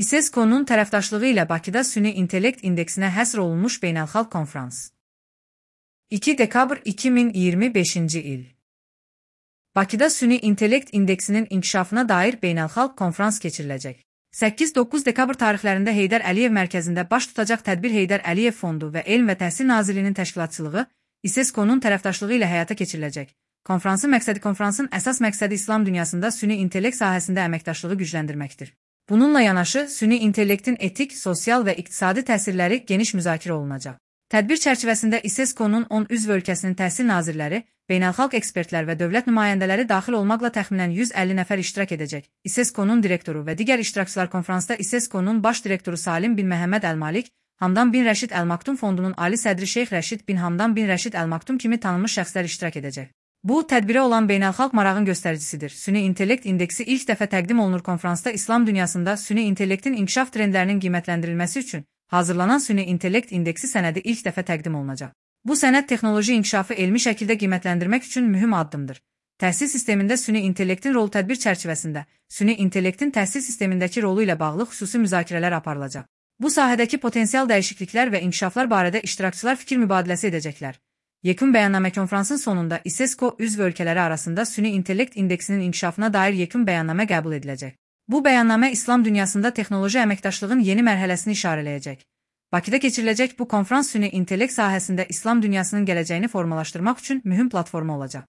İSESCO-nun tərəfdaşlığı ilə Bakıda süni intellekt indeksinə həsr olunmuş beynəlxalq konfrans. 2 dekabr 2025-ci il. Bakıda süni intellekt indeksinin inkişafına dair beynəlxalq konfrans keçiriləcək. 8-9 dekabr tarixlərində Heydər Əliyev mərkəzində baş tutacaq tədbir Heydər Əliyev Fondu və Elm və Təhsil Nazirliyinin təşkilatçılığı İSESCO-nun tərəfdaşlığı ilə həyata keçiriləcək. Konfransın əsas məqsədi İslam dünyasında süni intellekt sahəsində əməkdaşlığı gücləndirməkdir. Bununla yanaşı, süni intellektin etik, sosial və iqtisadi təsirləri geniş müzakirə olunacaq. Tədbir çərçivəsində İSESCO-nun 10 üzv ölkəsinin təhsil nazirləri, beynəlxalq ekspertlər və dövlət nümayəndələri daxil olmaqla təxminən 150 nəfər iştirak edəcək. İSESCO-nun direktoru və digər iştirakçılar konfransda İSESCO-nun baş direktoru Salim bin Məhəmməd Əl-Malik, Hamdan bin Rəşid Əl-Maktum Fondunun ali sədri Şeyx Rəşid bin Hamdan bin Rəşid Əl-Maktum kimi tanınmış şəxslər iştirak edəcək. Bu, tədbirə olan beynəlxalq marağın göstəricisidir. Süni intellekt indeksi ilk dəfə təqdim olunur konfransda İslam dünyasında süni intellektin inkişaf trendlərinin qiymətləndirilməsi üçün hazırlanan süni intellekt indeksi sənədi ilk dəfə təqdim olunacaq. Bu sənəd texnoloji inkişafı elmi şəkildə qiymətləndirmək üçün mühüm addımdır. Təhsil sistemində süni intellektin rolu tədbir çərçivəsində süni intellektin təhsil sistemindəki rolu ilə bağlı xüsusi müzakirələr aparılacaq. Bu sahədəki potensial dəyişikliklər və inkişaflar barədə iştirakçılar fikir mübadiləsi edəcəklər. Yekun bəyannamə konfransın sonunda İSESCO üzv ölkələri arasında süni intellekt indeksinin inkişafına dair yekun bəyannamə qəbul ediləcək. Bu bəyannamə İslam dünyasında texnoloji əməkdaşlığın yeni mərhələsini işarələyəcək. Bakıda keçiriləcək bu konfrans süni intellekt sahəsində İslam dünyasının gələcəyini formalaşdırmaq üçün mühüm platforma olacaq.